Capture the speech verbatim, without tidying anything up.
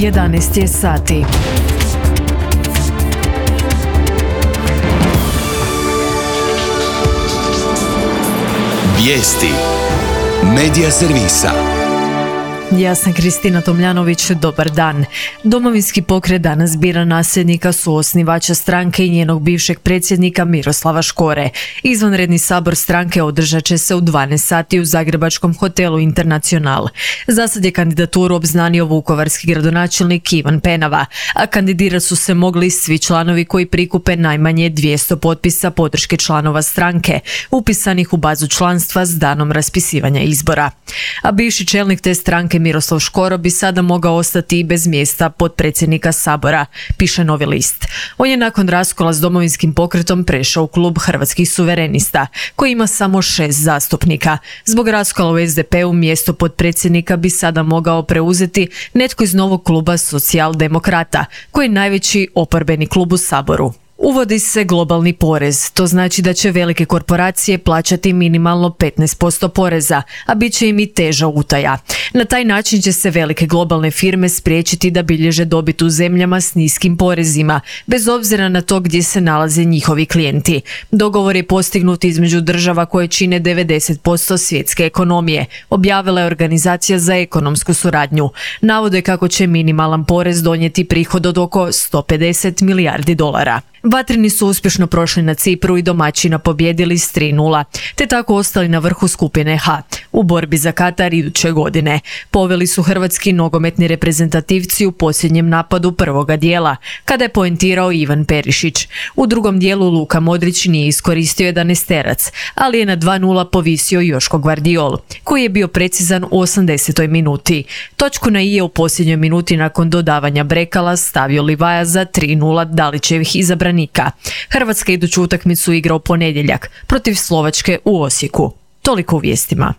jedanaest je sati. Vijesti Medija servisa. Ja sam Kristina Tomljanović, dobar dan. Domovinski pokret danas bira nasljednika suosnivača stranke i njenog bivšeg predsjednika Miroslava Škore. Izvanredni sabor stranke održat će se u dvanaest sati u zagrebačkom hotelu Internacional. Zasad je kandidaturu obznanio vukovarski gradonačelnik Ivan Penava, a kandidirati su se mogli svi članovi koji prikupe najmanje dvjesto potpisa podrške članova stranke, upisanih u bazu članstva s danom raspisivanja izbora. A bivši čelnik te stranke Miroslav Škoro bi sada mogao ostati i bez mjesta potpredsjednika sabora, piše Novi list. On je nakon raskola s Domovinskim pokretom prešao u klub Hrvatskih suverenista, koji ima samo šest zastupnika. Zbog raskola u es de pe u mjesto potpredsjednika bi sada mogao preuzeti netko iz novog kluba Socijaldemokrata, koji je najveći oporbeni klub u saboru. Uvodi se globalni porez, to znači da će velike korporacije plaćati minimalno petnaest posto poreza, a bit će im i teža utaja. Na taj način će se velike globalne firme spriječiti da bilježe dobit u zemljama s niskim porezima, bez obzira na to gdje se nalaze njihovi klijenti. Dogovor je postignut između država koje čine devedeset posto svjetske ekonomije, objavila je Organizacija za ekonomsku suradnju. Navode kako će minimalan porez donijeti prihod od oko sto pedeset milijardi dolara. Vatreni su uspješno prošli na Cipru i domaćina pobijedili s tri nula, te tako ostali na vrhu skupine H u borbi za Katar iduće godine. Poveli su hrvatski nogometni reprezentativci u posljednjem napadu prvoga dijela, kada je poentirao Ivan Perišić. U drugom dijelu Luka Modrić nije iskoristio jedanaesterac, ali je na dva nula povisio Joško Gvardiol, koji je bio precizan u osamdesetoj minuti. Točku na i je u posljednjoj minuti nakon dodavanja Brekala stavio Livaja za tri nula Dalićevih izabranika. Hrvatska iduću utakmicu igra u ponedjeljak protiv Slovačke u Osijeku. Toliko u vijestima.